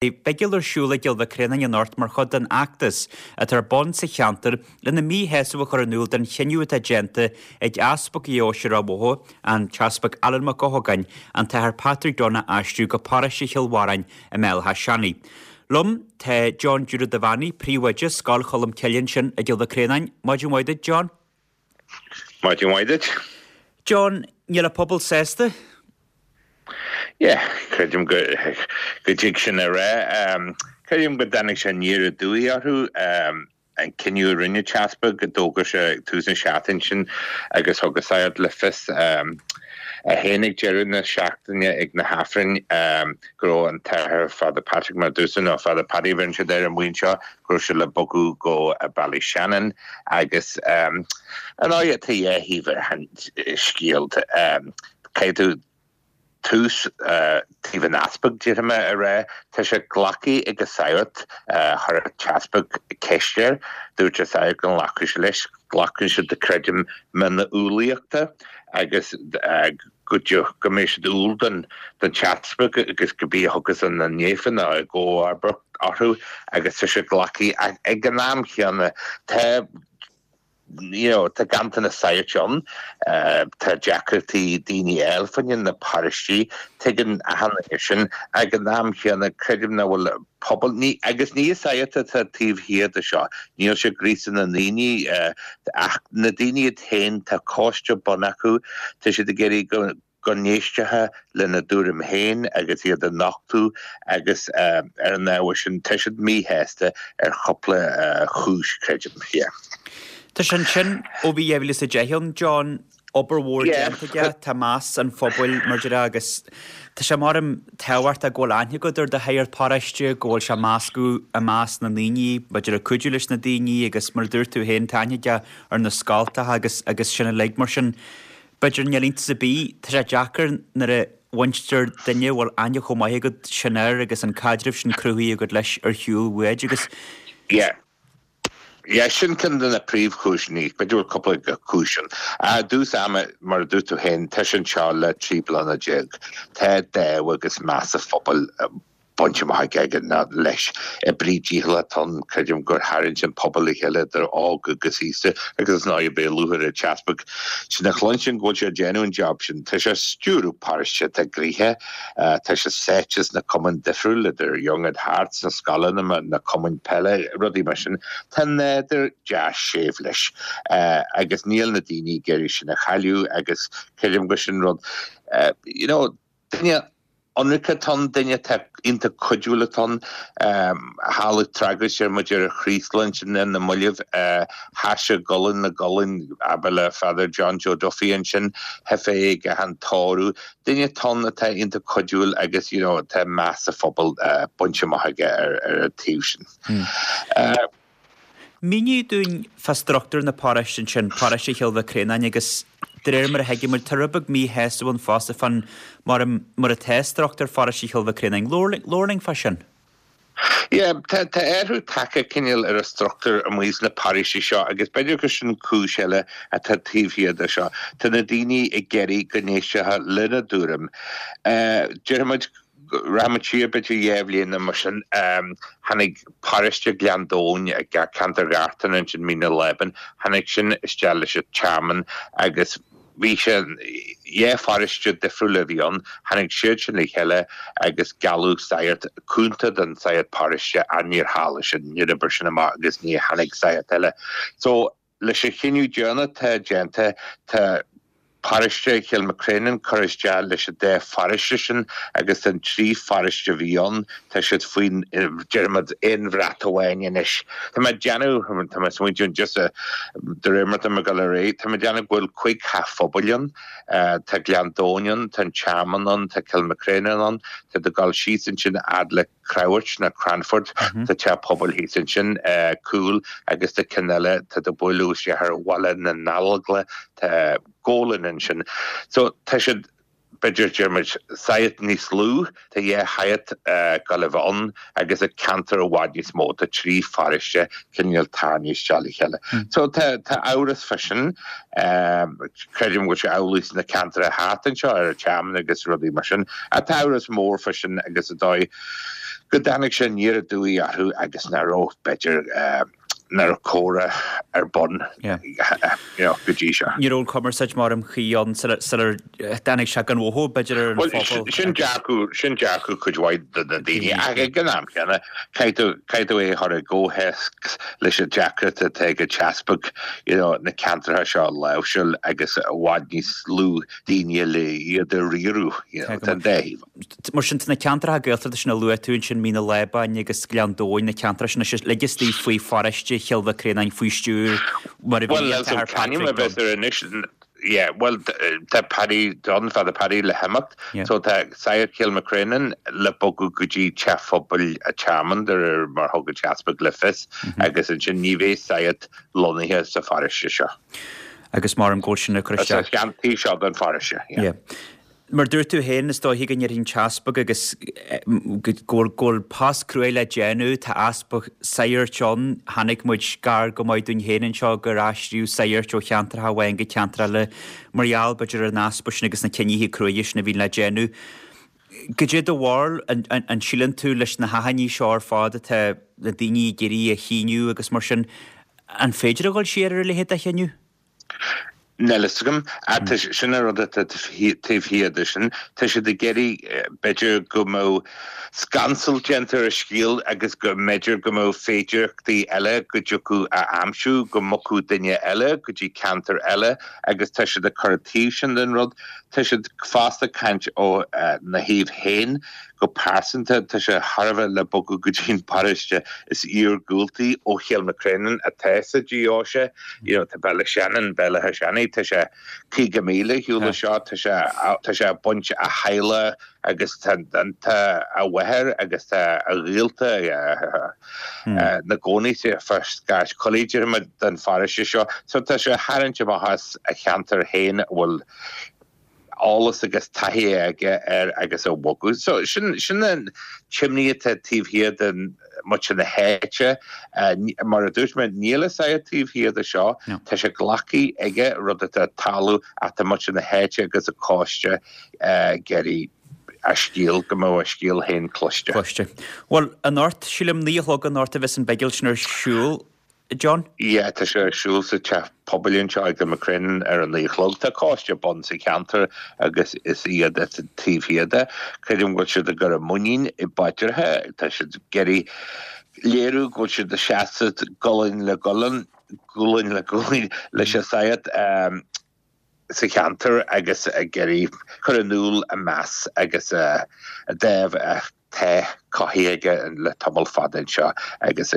Beidh bigil ar siúl i gCill Mhic Réanáin anocht mar chuid den fheachtas atá ar bun sa cheantar lena míshásamh a chur in iúl den chinneadh atá déanta ag Easpag Dheoise Ráth Bhoth, an tEaspag Alan Mac Eochagáin, an tAthair Patrick Dunne a aistriú go paróiste Chill Bharráin i mBéal Átha Seanaidh. Liom tá John Jude Devaney, Príomhoide Scoil Cholm Cille ansin i gCill Mhic Réanáin. Maidin mhaith duit, John. Maidin mhaith duit. John, níl an pobal sásta? Yeah, creidim go go dtig sin a rá. Creidim go dtáinig sé aniar aduaidh orthu, an cinneadh a rinne an tEaspag, d'fhógair sé ag tús na seachtaine sin agus thug an sagart le fios é féin ag deireadh na seachtaine ag na hAifrinn go raibh an tAthair Father Patrick mar a dúirt tú, nó Father Paddy a bheireann siad air amuigh anseo, go raibh sé le bogadh go Ballyshannon agus ar ndóigh tá dhá thaobh ar an scéal. Caithfidh tú tús taobh an easpaig, déarfaidh mé, a rá. Tá sé glactha ag an sagart, chuir an t-easpag ceist air, dúirt an sagart go nglacfadh sé leis, glacann siad creidim mionn na umhlaíochta agus go go mbeidh siad umhal don don t-easpag agus cibé a thiocfas ina ndiaidh nó i gcomharbacht orthu agus tá sé glactha ach ag an am chéanna tá you know, tá ganntanas sagairt ann, tá deacrachtaí daoine a fháil fá choinne na paróistí, tuigeann achan duine sin. Ag an am chéanna, creidim nach bhfuil pobal, ní, agus ní an sagart atá taobh thiar de seo, níl sé ag gríosadh na ndaoine, ach na daoine iad féin, tá coiste bunaithe acu, tá siad ag iarraidh go, go n-éistfí lena dtuairim féin agus iad a nochtadh agus ar an ábhar sin tá siad míshásta ar chúpla chúis, creidim. Yeah. Tá sé ansin ó bhí 2010 ann, John, obair mhór déanta aige, tá meas an phobail mar deir agus tá sé mar tábhachtach go bhfuil aithne agat ar do shagart paróiste, go bhfuil sé measctha i measc na ndaoine, b'fhéidir ag cuidiú leis na daoine agus mar a dúirt tú féin, tá aithne aige ar na scoltacha agus agus sin uilig mar sin. B'fhéidir níl iontas ar bith, tá sé deacair nuair a bhaintear duine a bhfuil aithne chomh maith agat sin air agus an caidreamh sin cruthaithe agat leis ar shiúl uait agus. Yeah. Yeah, sin ceann de na príomhchúiseanna, b'fhéidir go bhfuil cúpla cúis ann. I dtús ama, mar a dúirt tú féin, tá sé anseo le 13 bliana. Tá dáimh agus meas an phobail bainte amach aige leis. Oibrí dícheallach atá ann, creidim gur tharraing an pobal le chéile idir óg agus aosta agus is ndóigh beidh lúcháir ar an t-easpag sin a chluinstin go bhfuil sé ag déanamh an job sin. Tá sé ag stiúradh paróiste atá gnoitheach, tá sé sáite sna cumainn difriúil idir Young at Heart sna scoileanna, na cumainn peile, rudaí mar sin. Tá nádúr deas séimh leis agus níl na daoine ag iarraidh sin a chailleadh agus creidim gur sin rud, you know, duine ionraic atá ann, duine atá iontach cuidiúil atá ann. Tharla tragóid ar muid ar an Chraoslaigh ansin ar na mallaibh, sheas sé gualainn le gualainn, abair le Father John Joe Duffy ansin, theip é ag achan tórramh. Duine atá ann atá iontach cuidiúil agus you know tá meas an phobail bainte amach aige ar an taobh sin. Mínigh dúinn fá struchtúr na paróiste ansin, paróiste Chill Mhic Réanáin agus de réir mar a thuigimid, tá rud beag míshásamh ann fosta fán mar mar atá struchtúr pharóiste Chill Mhic Réanáin. Labhair linn fá sin. Yeah, tá tá athrú tagtha cineál ar an struchtúr amuigh sna paróistí seo agus b'fhéidir gur sin cúis eile atá taobh thiar de seo. Tá na daoine ag iarraidh go n-éistfí lena dtuairim. Déarfaimid Rachaimid siar b'fhéidir dhá bhliain nó mar sin, tháinig paróiste Ghleann Domhain, ceantar Ghartan ansin, Mín na Lában, tháinig sin isteach leis an Tearmann agus bhí sé, dhá pharóiste difriúla a bhí ann, tháinig siad sin le chéile agus gealladh sagart cúnta don sagart paróiste ach níor tharla sin, níor oibrigh sin amach agus ní tháinig sagart eile. So. Leis an chinneadh deireanach atá déanta, tá paróiste Chill Mhic Réanáin curtha isteach leis an dá pharóiste sin agus an trí pharóiste a bhí ann, tá siad faoin, déarfaimid, aon bhrat amháin anois. Tá mé ag déanamh, tá mé ag smaointiú just de réir mar atá mé ag dul ar aghaidh, tá mé ag déanamh go bhfuil cuig theach phobail ann, tá Gleann Domhain ann, tá an Tearmann ann, tá Cill Mhic Réanáin ann, tá tú ag dul síos ansin fhad le. Creabhairt nó Cranford, tá teach pobail thíos ansin, Cúil agus tá ceann eile, tá tú ag bualadh isteach ar Bhaile na nGallóglach, tá Gólan ansin. So tá siad, b'fhéidir, déarfaimid, saghas níos lú, tá dhá shagart ag gabháil a bheith ann agus an ceantar i bhfad níos mó, tá trí pharóiste cineál tarraingthe isteach le chéile. So tá tá amhras fá sin, creidim go bhfuil sé amhlaidh sna ceantracha thart anseo ar an Tearmann agus rudaí mar sin. Ach tá amhras mór fá sin agus is dóigh. Go dtáinig sé aniar aduaidh orthu agus nach raibh, b'fhéidir, nach raibh comhrá ar bun you know, go dtí seo. Ní raibh an chumarsáid mar ba chuí ann sular dtáinig sé gan mhothú, b'fhéidir, ar an phobal. Bhuel, sin dearcadh, sin dearcadh cuid mhaith de na daoine, ach ag an am céanna, caithfidh tú, caithfidh tú é a chur i gcomhthéacs leis an deacracht atá ag an t-easpag, you know, na ceantracha seo a láimhseáil agus i bhfad níos lú daoine le iad a riaradh, you know, tá an dá thaobh. Mar sin, tá na ceantracha Gaeltachta sin a luaigh tú ansin, Mín an Lábáin agus Gleann Domhain, na ceantracha sin anois uilig istigh faoi pharóiste Chill Mhic Réanáin faoi stiúir mar a bhí an tAthair Patrick Dunne. Yeah, bhuel, tá Paddy Dunne, Father Paddy le himeacht, so tá Sagart Chill Mhic Réanáin le bogadh go dtí Teach Phobail a' Tearmainn, de réir mar thug an t-easpag le fios, agus ansin ní bheidh sagart lonnaithe sa pharóiste seo. Agus mar an go bhfuil sin ag cur isteach. Sa cheantair seo den pharóiste, yeah. Mar dúirt tú féin, is dóiche go ndéarfaidh an t-easpag agus go bhfuil go bhfuil post cruaidh le déanamh, tá easpa saghairt ann, chonaic muid gar go maith dúinn féin anseo gur aistríodh saghairt ó cheantracha amháin go ceantar eile mar gheall b'fhéidir ar an easpa sin agus na cinnithe cruaidhe sin a bhíonn le déanamh. Goidé do bharúil, an síleann tú leis na hachainí seo ar fad atá na daoine ag iarraidh a shíniú agus mar sin, an féidir a dhul siar ar a leithéid de chinneadh? Níl a fhios agam. Tá, sin an rud atá taobh thiar de sin. Tá siad ag iarraidh, b'fhéidir, go mbeadh scansal déanta ar an scéal agus go mb'fhéidir go mbeadh féidearthachtaí eile go dtiocfadh a aimsiú, go mbogfadh duine eile go dtí ceantar eile agus tá siad ag cur an taobh sin den rud. Tá siad fosta ag caint ó na thaobh féin. Go pearsanta, tá sé thar a bheith le bogadh go dtí an paróiste is iargúltaí ó Chill Mhic Réanáin atá sa deoise. You know, tá Béal Átha Seanaidh, Béal Átha Seanaidh, tá sé 50 míle ar shiúl ó seo, tá sé, tá sé ag baint a theaghlach agus tá, tá a mháthair agus tá a ghaolta ina gcónaí fá scairt coiligh, déarfaidh muid, den pharóiste seo. So tá sé ag tarraingt amach as a cheantar féin a bhfuil eolas agus taithí aige air agus a bhogadh. So sin sin an t-imní atá taobh thiar de muintir na háite. Mar a dúirt mé, níl an sagart taobh thiar de seo. Tá sé glactha aige, rud atá ag tarlú ach tá muintir na háite agus an coiste ag iarraidh a scéal, go mbeadh a scéal féin cloiste. Cloiste. Bhuel, anocht, sílim, 9 a chlog anocht a bheas an bhigil sin ar siúl. John? Yeah, tá sé ar siúl sa teach pobail anseo i gCill Mhic Réanáin ar a 9 a chlog. Tá coiste ar bun sa cheantar agus is iad atá taobh thiar de. Creidim go bhfuil siad ag cur a muinín i bpaidreacha. Tá siad ag iarraidh léiriú go bhfuil siad ag seasamh gualainn le gualainn, gualainn le gualainn leis an sagart sa cheantar agus ag iarraidh cur in iúl a meas agus a dáimh atá cothaithe aige le tamall fada anseo agus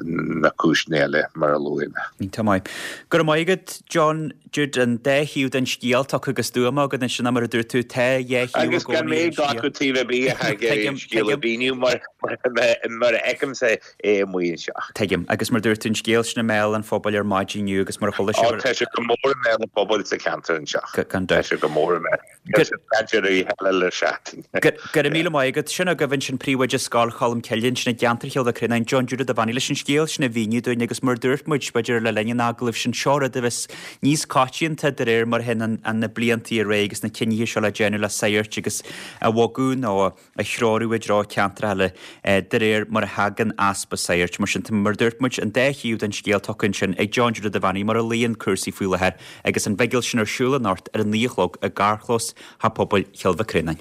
na cúiseanna eile mar a luaigh mé. Iontach maith. Go raibh maith agat, John. Jude, an dá thaobh den scéal tugtha go stuama agat ansin mar a dúirt tú, tá dhá thaobh i Agus gan gcónaí mé ar an scéal. glacadh taobh ar bith ach ag iarraidh an scéal a mhíniú mar mar a fheicimse é amuigh anseo. Tuigim. Agus mar dúirt tú, an scéal sin i mbéal an phobail ar maidin inniu agus mar a chuala sibh. Ó, tá sé go mór i mbéal an phobail sa cheantar anseo. Gan dabht. Tá sé go mór i mbéal. Tá sé caint ar oíche eile le seachtain. Go raibh míle maith agat. Sin agaibh ansin Príomhoide Scoil Cholm Cille ansin i gceantar Chill Mhic Réanáin, John Jude Ó Duibheannaigh leis an scéal sin a mhíniú dúinn agus mar a dúirt muid, b'fhéidir le linn an agallaimh sin, seo rud a bheas níos coitianta de réir mar a théann na blianta ar aghaidh agus na cinnithe seo le déanamh le saghairt agus a bhogadh nó a a threorú i dtreo ceantracha eile de réir mar a thagann easpa saghairt. Mar sin, mar a dúirt muid, an dá thaobh den scéal tugtha ansin ag John Jude Ó Duibheannaigh mar a luíonn cúrsaí faoi láthair agus an bhigil sin ar siúl anocht ar a 9 a chlog i gcarrchlós Theach Pobail Chill Mhic Réanáin.